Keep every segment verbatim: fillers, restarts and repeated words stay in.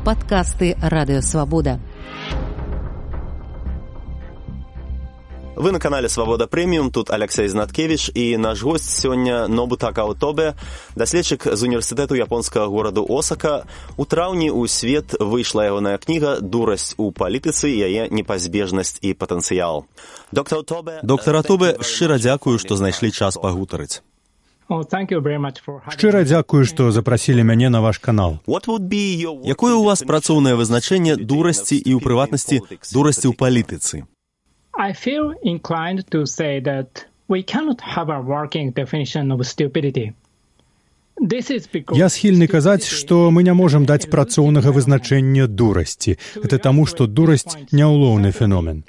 Падкасты Радыё Свабода. Вы на канале «Свабода Прэміум», тут Алексей Знаткевич, і наш госць сёння Нобутака Отобе, даследчык з універсітэту японскага гораду Осака. У траўні ў свет выйшла ягоная кніга «Дурасць у палітыцы. Яе непазбежнасць і патэнцыял». Доктор Отобе, Доктор Отобе, шчыра дзякую, што знайшлі час пагутарыць. Шчыра дзякую, што запрасілі мяне на ваш канал. Якое ў вас працоўнае вызначэнне дурасці і, ў прыватнасці, дурасці ў палітыцы? I feel inclined to say that we cannot have a working definition of stupidity. Я схільны казаць, што мы не можам даць працоўнага вызначэння дурасці. Гэта таму, што дурасць няўлоўны феномен.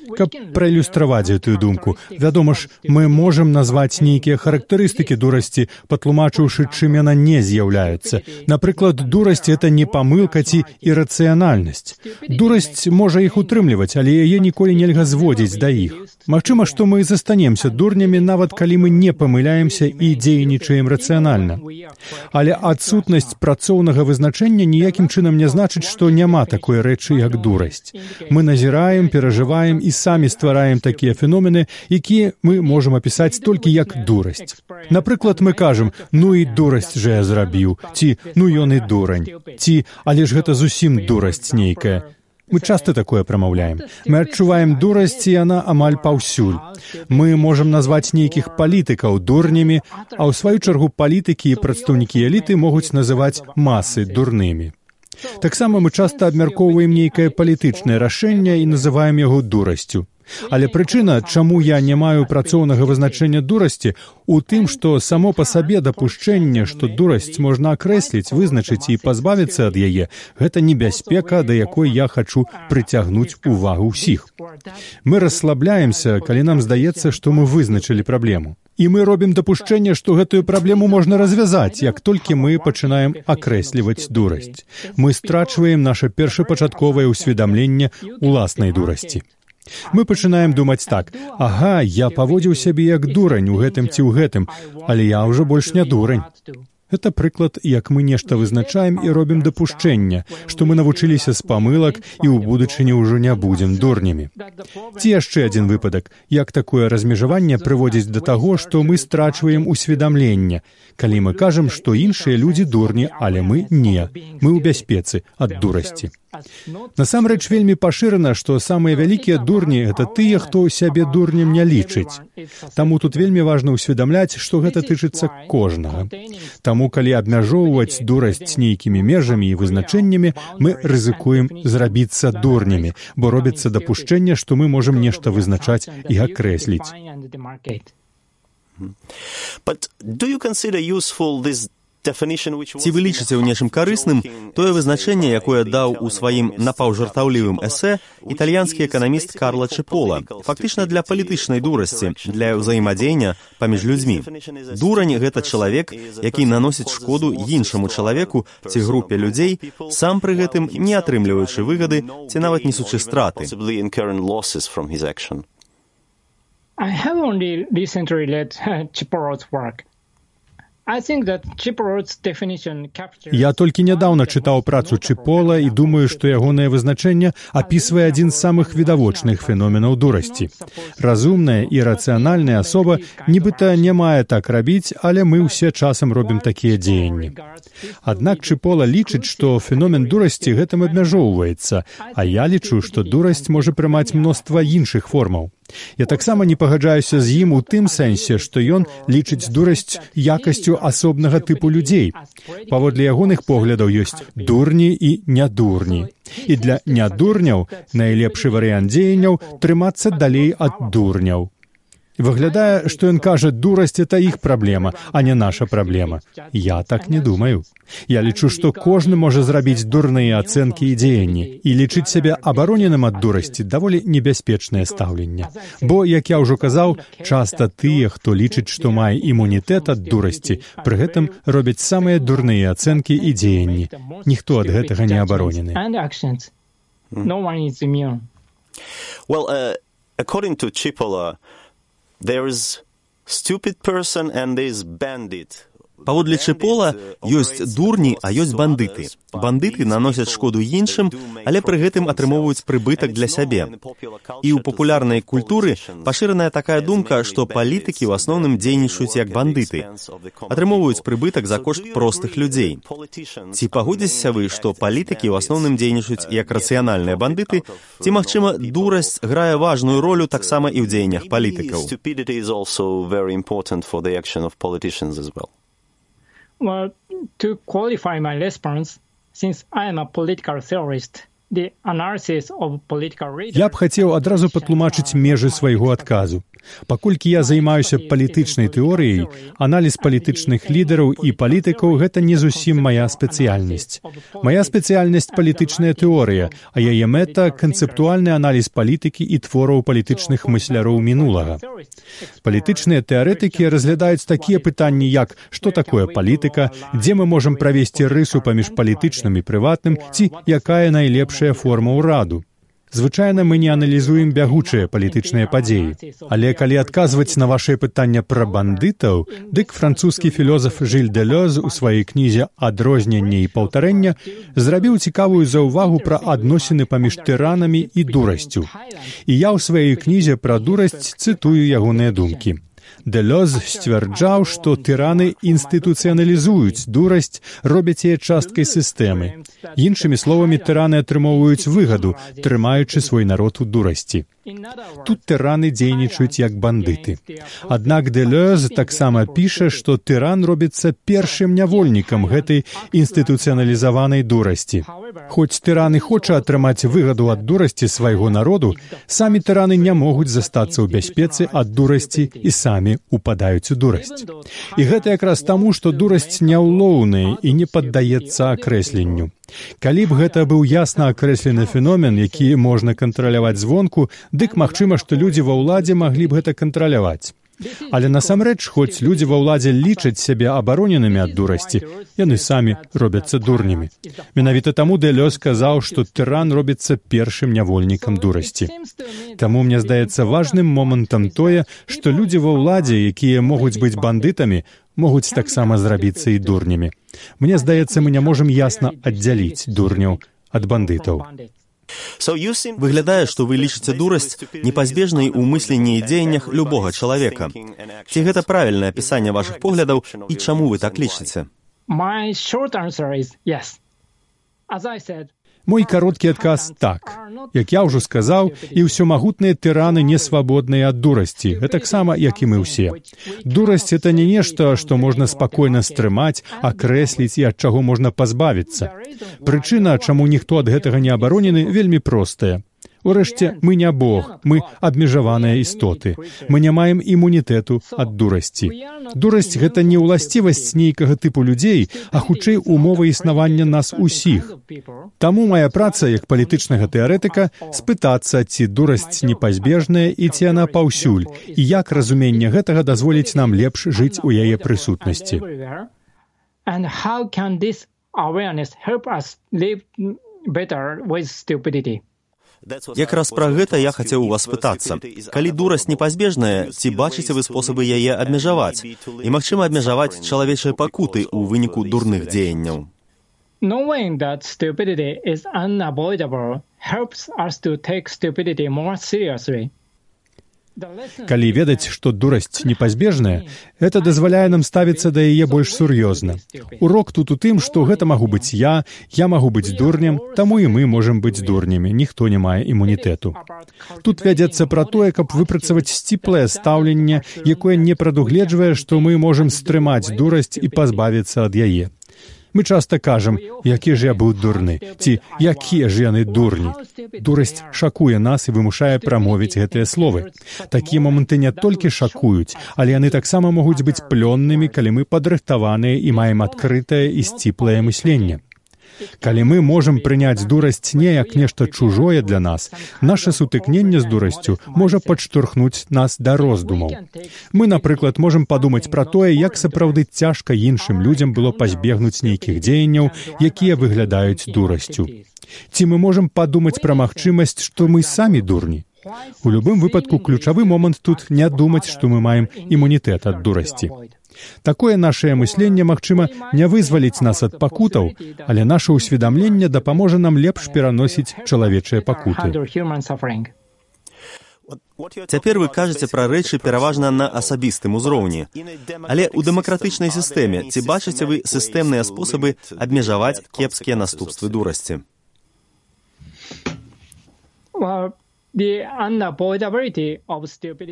Каб праілюстраваць гэтую думку, вядома ж, мы можам назваць нейкія характарыстыкі дурасці, патлумачыўшы, чым яна не з'яўляецца. Напрыклад, дурасць — гэта не памылка ці ірацыянальнасць. Дурасць можа іх утрымліваць, але яе ніколі нельга зводзіць да іх. Магчыма, што мы застанемся дурнямі, нават калі мы не памыляемся і дзейнічаем рацыянальна. Але адсутнасць працоўнага вызначэння ніякім чынам не значыць, што няма такой рэчы, як дурасць. Мы назіраем, перажываем і самі ствараем такія феномены, якія мы можам апісаць толькі як дурасць. Напрыклад, мы кажам: «Ну і дурасць жа я зрабіў», ці «Ну ён і дурань», ці «Але ж гэта зусім дурасць нейкая». Мы часта такое прамаўляем. Мы адчуваем дурасць, і яна амаль паўсюль. Мы можам назваць нейкіх палітыкаў дурнямі, а ў сваю чаргу палітыкі і прадстаўнікі эліты могуць называць масы дурнымі. Таксама мы часта абмяркоўваем нейкае палітычнае рашэнне і называем яго дурасцю. Але прычына, чаму я не маю працоўнага вызначэння дурасці, у тым, што само па сабе дапушчэнне, што дурасць можна акрэсліць, вызначыць і пазбавіцца ад яе, гэта небяспека, да якой я хачу прыцягнуць увагу ўсіх. Мы расслабляемся, калі нам здаецца, што мы вызначылі праблему. І мы робім дапушчэнне, што гэтую праблему можна развязаць, як толькі мы пачынаем акрэсліваць дурасць. Мы страчваем наша першапачатковае ўсведамленне уласнай дурасці. Мы пачынаем думаць так: «Ага, я паводзіў сябе як дурань у гэтым ці ў гэтым, але я ўжо больш не дурань». Гэта прыклад, як мы нешта вызначаем і робім дапушчэнне, што мы навучыліся з памылак і ў будучыні ўжо не будзем дурнямі. Ці яшчэ адзін выпадак, як такое размежаванне прыводзіць да таго, што мы страчваем усведамленне, калі мы кажам, што іншыя людзі дурні, але мы не. Мы ў бяспецы ад дурасці. Насамрэч вельмі пашырана, што самыя вялікія дурні — гэта тыя, хто сябе дурнем не лічыць. Таму тут вельмі важна ўсведамляць, што гэта тычыцца кожнага. Таму, калі абмяжоўваць дурасць нейкімі межамі і вызначэннямі, мы рызыкуем зрабіцца дурнямі, бо робіцца дапушчэнне, што мы можам нешта вызначаць і акрэсліць. But do you consider useful this Ці вы лічыце ў нечым карысным тое вызначэнне, якое даў у сваім напаўжартаўлівым эсэ італьянскі эканаміст Карло Чипола, фактычна для палітычнай дурасці, для ўзаемадзеяння паміж людзьмі. Дурань — гэта чалавек, які наносіць шкоду іншаму чалавеку ці групе людзей, сам пры гэтым не атрымліваючы выгады ці нават несучы страты. I have only recently read Chipolo's work. Я толькі нядаўна чытаў працу Чипола і думаю, што ягонае вызначэнне апісвае адзін з самых відавочных феноменаў дурасці. Разумная і рацыянальная асоба нібыта не мае так рабіць, але мы ўсе часам робім такія дзеянні. Аднак Чипола лічыць, што феномен дурасці гэтым абмяжоўваецца, а я лічу, што дурасць можа прымаць мноства іншых формаў. Я таксама не пагаджаюся з ім у тым сэнсе, што ён лічыць дурасць якасцю асобнага тыпу людзей. Паводле ягоных поглядаў ёсць дурні і нядурні. І для нядурняў найлепшы варыянт дзеянняў — трымацца далей ад дурняў. Выглядае, што ён кажа, дурасць — это іх праблема, а не наша праблема. Я так не думаю. Я лічу, што кожны можа зрабіць дурныя ацэнкі і дзеянні, і лічыць сябе абароненым ад дурасці даволі небяспечнае стаўленне. Бо, як я ўжо казаў, часта тыя, хто лічыць, што мае імунітэт ад дурасці, пры гэтым робяць самыя дурныя ацэнкі і дзеянні. Ніхто ад гэтага не абаронены. Well, uh, according to Cipolla, there is stupid person and there is bandit. Паводле Чэпола ёсць дурні, а ёсць бандыты. Бандыты наносяць шкоду іншым, але пры гэтым атрымоўваюць прыбытак для сябе. І ў папулярнай культуры пашыраная такая думка, што палітыкі ў асноўным дзейнічаюць як бандыты, атрымоўваюць прыбытак за кошт простых людзей. Ці пагодзіцеся вы, што палітыкі ў асноўным дзейнічаюць як рацыянальныя бандыты, ці, магчыма, дурасць грае важную ролю таксама і ў дзеяннях палітыкаў? Well, to qualify my response, since I am a political theorist, the analysis of political readers... Я б хацеў адразу патлумачыць межы свайго адказу. Паколькі я займаюся палітычнай тэорыяй, аналіз палітычных лідараў і палітыкаў — гэта не зусім мая спецыяльнасць. Мая спецыяльнасць — палітычная тэорыя, а яе мэта — канцэптуальны аналіз палітыкі і твораў палітычных мысляроў мінулага. Палітычныя тэарэтыкі разглядаюць такія пытанні, як што такое палітыка, дзе мы можам правесці рысу паміж палітычным і прыватным, ці якая найлепшая форма ўраду. Звычайна мы не аналізуем бягучыя палітычныя падзеі. Але калі адказваць на вашае пытанне пра бандытаў, дык французскі філёзаф Жыль Дэлёз у сваёй кнізе «Адрозненне і паўтарэнне» зрабіў цікавую заўвагу пра адносіны паміж тыранамі і дурасцю. І я ў сваёй кнізе пра дурасць цытую ягоныя думкі. Дэлёз сцвярджаў, што тыраны інстытуцыяналізуюць дурасць, робяць яе часткай сістэмы. Іншымі словамі, тыраны атрымоўваюць выгаду, трымаючы свой народ у дурасці. Тут тыраны дзейнічаюць як бандыты. Аднак Дэлёз таксама піша, што тыран робіцца першым нявольнікам гэтай інстытуцыяналізаванай дурасці. Хоць тыран і хоча атрымаць выгаду ад дурасці свайго народу, самі тыраны не могуць застацца ў бяспецы ад дурасці і самі упадаюць у дурасць. І гэта якраз таму, што дурасць няўлоўная і не паддаецца акрэсленню. Калі б гэта быў ясна акрэслены феномен, які можна кантраляваць звонку, дык магчыма, што людзі ва ўладзе маглі б гэта кантраляваць. Але насамрэч, хоць людзі ва ўладзе лічаць сябе абароненымі ад дурасці, яны самі робяцца дурнямі. Менавіта таму Дэлёз сказаў, што тыран робіцца першым нявольнікам дурасці. Таму мне здаецца важным момантам тое, што людзі ва ўладзе, якія могуць быць бандытамі, могуць таксама зрабіцца і дурнямі. Мне здаецца, мы не можам ясна аддзяліць дурняў ад бандытаў. Выглядае, што вы лічыце дурасць непазбежнай у мысленні і дзеяннях любога чалавека. Ці гэта правільнае апісанне вашых поглядаў і чаму вы так лічыце? My short answer is yes. As I said, Мой кароткі адказ — так. Як я ўжо сказаў, і ўсёмагутныя тыраны не свабодныя ад дурасці, гэтаксама, як і мы ўсе. Дурасць — это не нешта, што можна спакойна стрымаць, акрэсліць і ад чаго можна пазбавіцца. Прычына, чаму ніхто ад гэтага не абаронены, вельмі простая. Урэшце, мы не Бог, мы абмежаваныя істоты. Мы не маем імунітэту ад дурасці. Дурасць — гэта не ўласцівасць нейкага тыпу людзей, а хутчэй умова існавання нас усіх. Таму моя праца, як палітычнага тэарэтыка, спытацца, ці дурасць непазбежная і ці яна паўсюль, і як разуменне гэтага дазволіць нам лепш жыць у яе прысутнасці. And how can this awareness help us live better with stupidity? Якраз пра гэта я хацеў у вас спытацца. Калі дурасць непазбежная, ці бачыце вы спосабы яе абмежаваць? І, магчыма, абмежаваць чалавечыя пакуты ў выніку дурных дзеянняў? Knowing that stupidity is unavoidable helps us to take stupidity more seriously. Калі ведаць, што дурасць непазбежная, гэта дазваляе нам ставіцца да яе больш сур'ёзна. Урок тут у тым, што гэта магу быць я, я магу быць дурнем, таму і мы можам быць дурнямі, ніхто не мае імунітэту. Тут вядзецца пра тое, каб выпрацаваць сціплае стаўленне, якое не прадугледжвае, што мы можам стрымаць дурасць і пазбавіцца ад яе. Мы часта кажам, які ж я быў дурны, ці якія ж яны дурні. Дурасць шакуе нас і вымушае прамовіць гэтыя словы. Такія моманты не толькі шакуюць, але яны таксама могуць быць плённымі, калі мы падрыхтаваныя і маем адкрытае і сціплае мысленне. Калі мы можам прыняць дурасць не як нешта чужое для нас, наша сутыкненне з дурасцю можа падштурхнуць нас да роздумаў. Мы, напрыклад, можам падумаць пра тое, як сапраўды цяжка іншым людзям было пазбегнуць нейкіх дзеянняў, якія выглядаюць дурасцю. Ці мы можам падумаць пра магчымасць, што мы самі дурні? У любым выпадку ключавы момант тут не думаць, што мы маем імунітэт ад дурасці. Такое нашае мысленне, магчыма, не вызваліць нас ад пакутаў, але наша ўсведамленне дапаможа нам лепш пераносіць чалавечыя пакуты. Цяпер вы кажаце пра рэчы пераважна на асабістым узроўні. Але ў дэмакратычнай сістэме ці бачыце вы сістэмныя спосабы абмежаваць кепскія наступствы дурасці?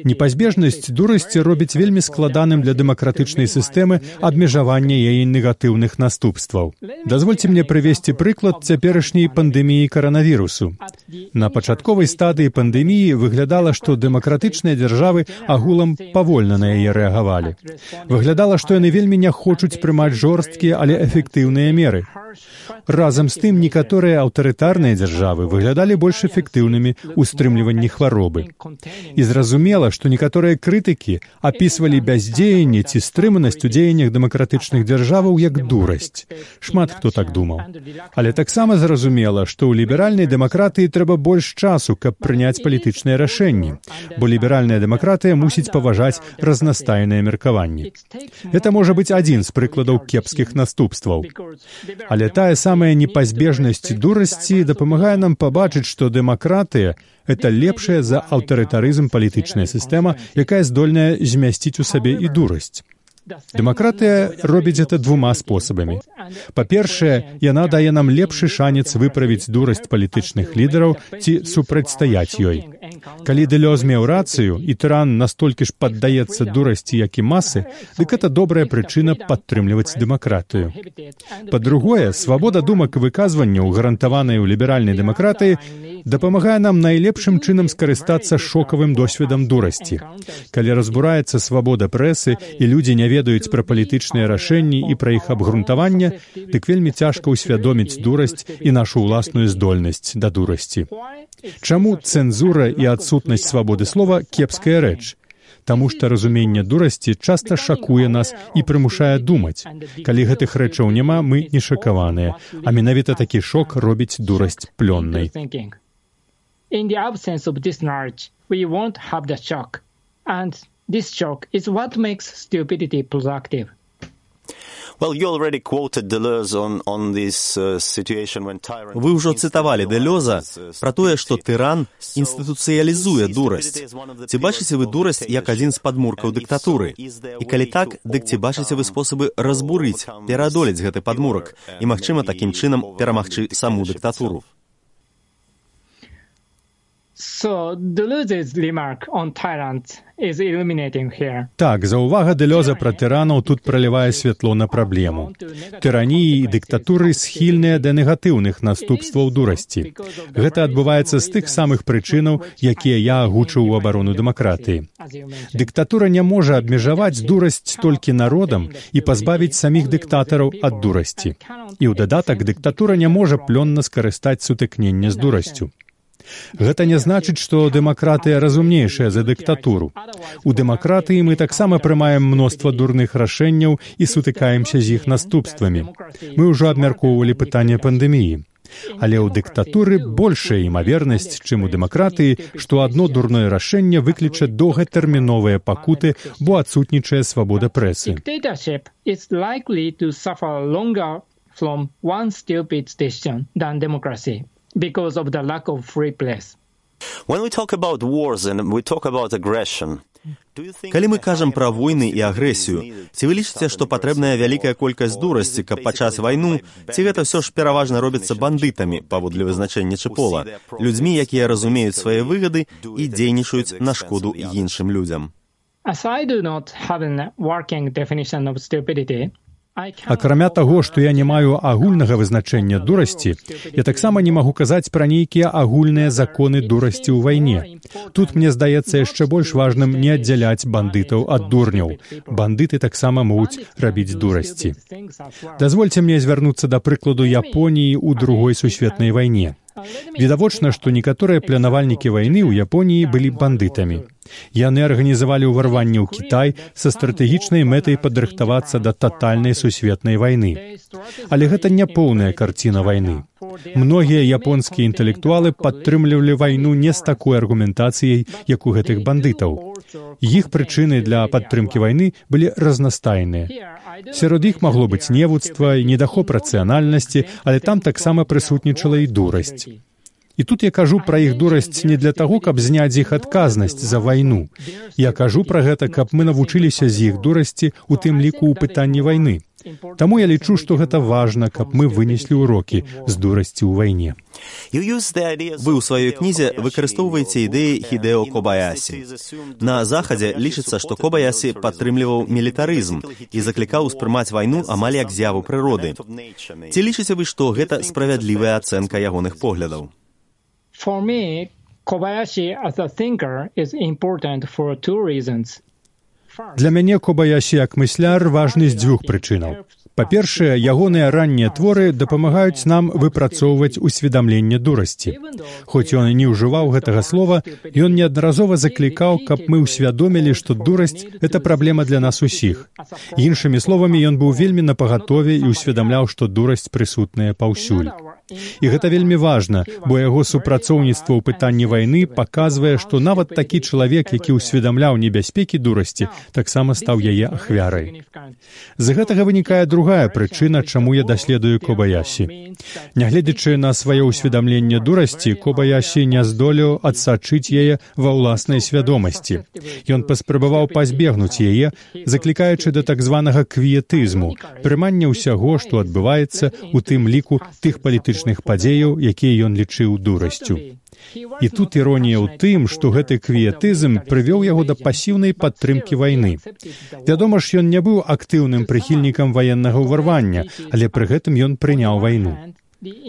Непазбежнасць дурасці робіць вельмі складаным для дэмакратычнай сістэмы абмежавання яе негатыўных наступстваў. Дазвольце мне прывесці прыклад цяперашняй пандэміі каранавірусу. На пачатковай стадыі пандэміі выглядала, што дэмакратычныя дзяржавы агулам павольна на яе рэагавалі. Выглядала, што яны вельмі не хочуць прымаць жорсткія, але эфектыўныя меры. Разам з тым, некаторыя аўтарытарныя дзяржавы выглядалі больш эфектыўнымі ў стрымліванні хваробы. І зразумела, што некаторыя крытыкі апісвалі бяздзеянне ці стрыманасць у дзеяннях дэмакратычных дзяржаваў як дурасць. Шмат хто так думаў. Але таксама зразумела, што ў ліберальнай дэмакратыі трэба больш часу, каб прыняць палітычныя рашэнні, бо ліберальная дэмакратыя мусіць паважаць разнастайныя меркаванні. Гэта можа быць адзін з прыкладаў кепскіх наступстваў. Але тая самая непазбежнасць дурасці дапамагае нам пабачыць, што дэмакратыя — гэта лепшая за аўтарытарызм палітычная сістэма, якая здольная змясціць у сабе і дурасць. Дэмакратыя робіць гэта двума спосабамі. Па-першае, яна дае нам лепшы шанец выправіць дурасць палітычных лідараў ці супрацьстаяць ёй. Калі Дэлёз меў рацыю, і тыран настолькі ж паддаецца дурасці, як і масы, дык гэта добрая прычына падтрымліваць дэмакратыю. Па-другое, свабода думак і выказванняў, гарантаваная ў ліберальнай дэмакратыі, дапамагае нам найлепшым чынам скарыстацца шокавым досведам дурасці. Калі разбураецца свабода прэсы і людзі не ведаюць пра палітычныя рашэнні і пра іх абгрунтаванне, дык вельмі цяжка ўсвядоміць дурасць і нашу ўласную здольнасць да дурасці. Чаму цэнзура і адсутнасць свабоды слова кепская рэч? Таму што разуменне дурасці часта шакуе нас і прымушае думаць. Калі гэтых рэчаў няма, мы не шакаваныя, а менавіта такі шок робіць дурасць плённай. In the absence of this knowledge, we won't have the shock. And this shock is what makes stupidity productive. Вы ўжо цытавалі Дэлёза пра тое, што тыран інстытуцыялізуе дурасць. Ці бачыце вы дурасць як адзін з падмуркаў дыктатуры? І калі так, дык ці бачыце вы спосабы разбурыць, пераадолець гэты падмурак і, магчыма, такім чынам перамагчы саму дыктатуру? So, Deleuze's remark on tyrants is illuminating here. Так, заўвага Дэлёза пра тыранаў тут пралівае святло на праблему. Тыраніі і дыктатуры схільныя да негатыўных наступстваў дурасці. Гэта адбываецца з тых самых прычынаў, якія я агучыў у абарону дэмакратыі. Дыктатура не можа абмежаваць дурасць толькі народам і пазбавіць саміх дыктатараў ад дурасці. І ў дадатак дыктатура не можа плённа скарыстаць сутыкненне з дурасцю. Гэта не значыць, што дэмакратыя разумнейшая за дыктатуру. У дэмакратыі мы таксама прымаем мноства дурных рашэнняў і сутыкаемся з іх наступствамі. Мы ўжо абмяркоўвалі пытанне пандэміі. Але ў дыктатуры большая імавернасць, чым у дэмакратыі, што адно дурное рашэнне выкліча доўгатэрміновыя пакуты, бо адсутнічае свабода прэсы. Dictatorship is likely to suffer longer from one stupid decision than democracy. Because of the lack of free press. When we talk about wars and we talk about aggression, калі мы кажам пра войны і агрэсію, ці вы лічыце, што патрэбная вялікая колькасць дурасці, каб пачаць вайну, ці гэта ўсё ж пераважна робіцца бандытамі, паводле вызначэння Чэпола, людзьмі, якія разумеюць свае выгады і дзейнічаюць на шкоду іншым людзям? As I do not have a working definition of stupidity, акрамя таго, што я не маю агульнага вызначэння дурасці, я таксама не магу казаць пра нейкія агульныя законы дурасці ў вайне. Тут, мне здаецца, яшчэ больш важным не аддзяляць бандытаў ад дурняў. Бандыты таксама могуць рабіць дурасці. Дазвольце мне звярнуцца да прыкладу Японіі ў другой сусветнай вайне. Відавочна, што некаторыя планавальнікі вайны ў Японіі былі бандытамі. Яны арганізавалі ўварванне ў Кітай са стратэгічнай мэтай падрыхтавацца да татальнай сусветнай вайны. Але гэта не поўная карціна вайны. Многія японскія інтэлектуалы падтрымлівалі вайну не з такой аргументацыяй, як у гэтых бандытаў. Іх прычыны для падтрымкі вайны былі разнастайныя. Сярод іх магло быць невуцтва і недахоп рацыянальнасці, але там таксама прысутнічала і дурасць. І тут я кажу пра іх дурасць не для таго, каб зняць іх адказнасць за вайну. Я кажу пра гэта, каб мы навучыліся з іх дурасці, у тым ліку ў пытанні вайны. Таму я лічу, што гэта важна, каб мы вынеслі ўрокі з дурасці ў вайне. Вы ў сваёй кнізе выкарыстоўваеце ідэі Хідэо Кобаясі. На Захадзе лічыцца, што Кобаясі падтрымліваў мілітарызм і заклікаў успрымаць вайну амаль як з'яву прыроды. Ці лічыце вы, што гэта справядлівая ацэнка ягоных поглядаў? For me, Kobayashi as a thinker is important for two reasons. Для мяне Кобаясі як мысляр важны з дзвюх прычынаў. Па-першае, ягоныя раннія творы дапамагаюць нам выпрацоўваць усведамленне дурасці. Хоць ён і не ўжываў гэтага слова, ён неаднаразова заклікаў, каб мы ўсвядомілі, што дурасць — гэта праблема для нас усіх. Іншымі словамі, ён быў вельмі напагатове і ўсведамляў, што дурасць прысутная паўсюль. І гэта вельмі важна, бо яго супрацоўніцтва ў пытанні вайны паказвае, што нават такі чалавек, які ўсведамляў небяспекі дурасці, таксама стаў яе ахвярай. З гэтага вынікае другая прычына, чаму я даследую Кобаясі. Нягледзячы на сваё ўсведамленне дурасці, Кобаясі не здолеў адсачыць яе ва ўласнай свядомасці. Ён паспрабаваў пазбегнуць яе, заклікаючы да так званага квіетызму, прымання ўсяго, што адбываецца, у тым ліку тых палітычных падзеяў, якія ён лічыў дурасцю. І тут іронія ў тым, што гэты квіетызм прывёў яго да пасіўнай падтрымкі вайны. Вядома ж, ён не быў актыўным прыхільнікам ваеннага ўварвання, але пры гэтым ён прыняў вайну.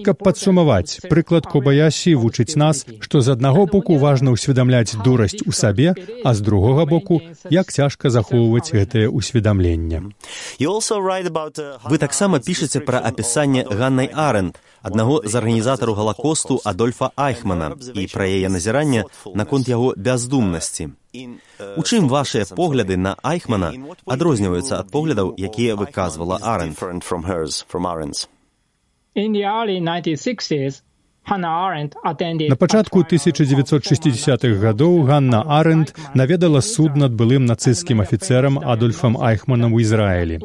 Каб падсумаваць, прыклад Кобаясі вучыць нас, што з аднаго боку важна ўсведамляць дурасць у сабе, а з другога боку, як цяжка захоўваць гэтае ўсведамленне. Вы таксама пішаце пра апісанне Ганнай Арэнд, аднаго з арганізатараў Галакосту Адольфа Айхмана, і пра яе назіранне наконт яго бяздумнасці. У чым вашыя погляды на Айхмана адрозніваюцца ад поглядаў, якія выказвала Арэнд? На пачатку тысяча дзевяцьсот шэсцідзесятых гадоў Ганна Арэнд наведала суд над былым нацысцкім афіцэрам Адольфам Айхманам у Ізраілі.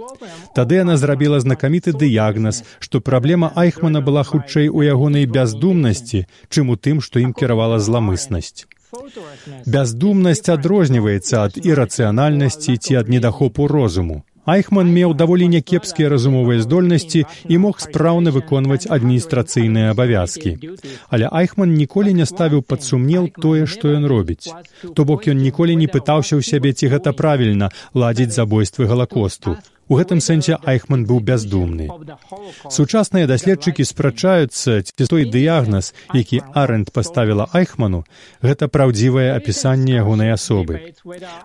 Тады яна зрабіла знакаміты дыягназ, што праблема Айхмана была хутчэй у ягонай бяздумнасці, чым у тым, што ім кіравала зламыснасць. Бяздумнасць адрозніваецца ад ірацыянальнасці ці ад недахопу розуму. Айхман меў даволі някепскія разумовыя здольнасці і мог спраўна выконваць адміністрацыйныя абавязкі. Але Айхман ніколі не ставіў пад сумнеў тое, што ён робіць. То бок ён ніколі не пытаўся ў сябе, ці гэта правільна ладзіць забойствы Галакосту. У гэтым сэнсе Айхман быў бяздумны. Сучасныя даследчыкі спрачаюцца, ці той дыягназ, які Арэнд паставіла Айхману, гэта праўдзівае апісанне ягонай асобы.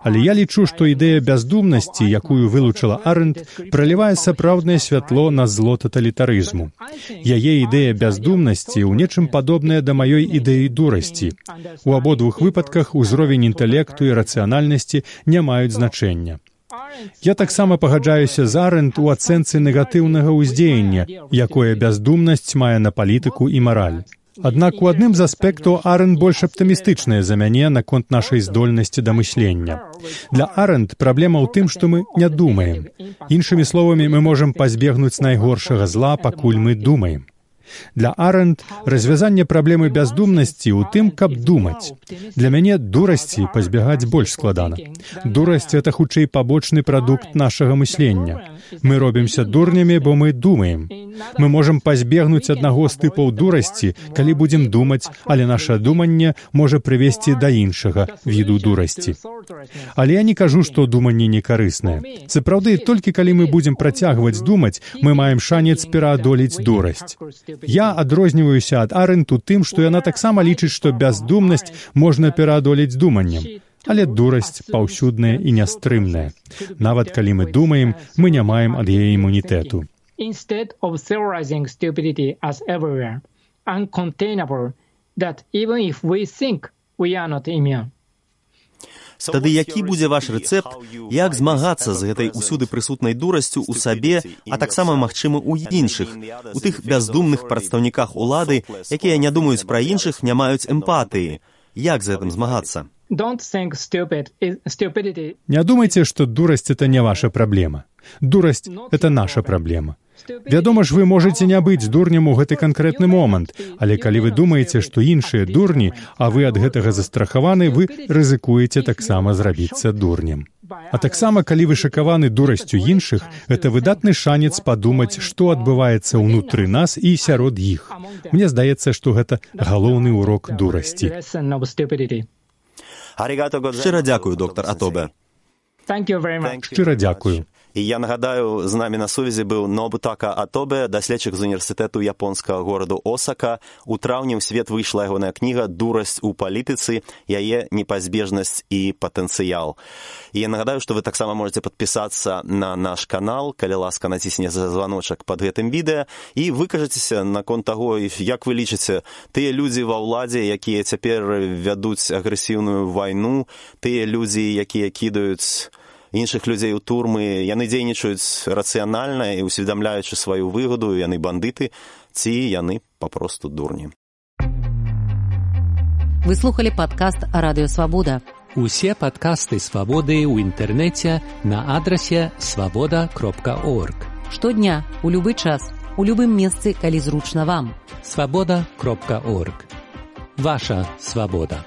Але я лічу, што ідэя бяздумнасці, якую вылучыла Арэнд, пралівае сапраўднае святло на зло таталітарызму. Яе ідэя бяздумнасці ў нечым падобная да маёй ідэі дурасці. У абодвух выпадках узровень інтэлекту і рацыянальнасці не маюць значэння. Я таксама пагаджаюся з Арэнд у ацэнцы негатыўнага ўздзеяння, якое бяздумнасць мае на палітыку і мараль. Аднак у адным з аспектаў Арэнд больш аптымістычная за мяне наконт нашай здольнасці да мыслення. Для Арэнд праблема ў тым, што мы не думаем. Іншымі словамі, мы можам пазбегнуць найгоршага зла, пакуль мы думаем. Для Арэнд развязанне праблемы бяздумнасці ў тым, каб думаць. Для мяне дурасці пазбягаць больш складана. Дурасць — гэта хутчэй пабочны прадукт нашага мыслення. Мы робімся дурнямі, бо мы думаем. Мы можам пазбегнуць аднаго з тыпаў дурасці, калі будзем думаць, але наша думанне можа прывесці да іншага віду дурасці. Але я не кажу, што думанне не карыснае. Сапраўды, толькі калі мы будзем працягваць думаць, мы маем шанец пераадолець дурасць. Я адрозніваюся ад Арэнд у тым, што яна таксама лічыць, што бяздумнасць можна пераадолець думаннем. Але дурасць паўсюдная і нястрымная. Нават калі мы думаем, мы не маем ад яе імунітэту. Instead of theorizing stupidity as everywhere, uncontainable, that even if we think, we are not immune. Тады які будзе ваш рэцэпт, як змагацца з гэтай усюды прысутнай дурасцю ў сабе, а таксама, магчыма, у іншых, у тых бяздумных прадстаўніках улады, якія не думаюць пра іншых, не маюць эмпатыі. Як з гэтым змагацца? don't think stupid is stupidity. Не думайте, что дурость — это не ваша проблема. Дурость — это наша праблема. Вядома ж, вы можаце не быць дурнем у гэты канкрэтны момант, але калі вы думаеце, што іншыя дурні, а вы ад гэтага застрахаваны, вы рызыкуеце таксама зрабіцца дурнем. А таксама, калі вы шакаваны дурасцю іншых, гэта выдатны шанец падумаць, што адбываецца ўнутры нас і сярод іх. Мне здаецца, што гэта галоўны урок дурасці. Шчыра дзякую, доктар Атобе. Шчыра дзякую. І я нагадаю, з намі на сувязі быў Нобутака Атобе, даследчык з універсітэту японскага гораду Осака. У траўні ў свет выйшла ягоная кніга «Дурасць у палітыцы. Яе непазбежнасць і патэнцыял». І я нагадаю, што вы таксама можете падпісацца на наш канал, калі ласка націсне званочак пад гэтым відэа, і выкажацеся наконт таго, як вы лічыце, тыя людзі ва ўладзе, якія цяпер вядуць агрэсіўную вайну, тыя людзі, якія кідаюць іншых людзей у турмы, яны дзейнічаюць рацыянальна і усведамляючы сваю выгаду, яны бандыты, ці яны папросту дурні. Вы слухали падкаст Радыё Свабода. Усе падкасты Свабоды ў інтэрнэце на адрасе свабода кропка орг. Штодня, у любы час, у любым месцы, калі зручна вам. свабода кропка орг. Ваша свабода.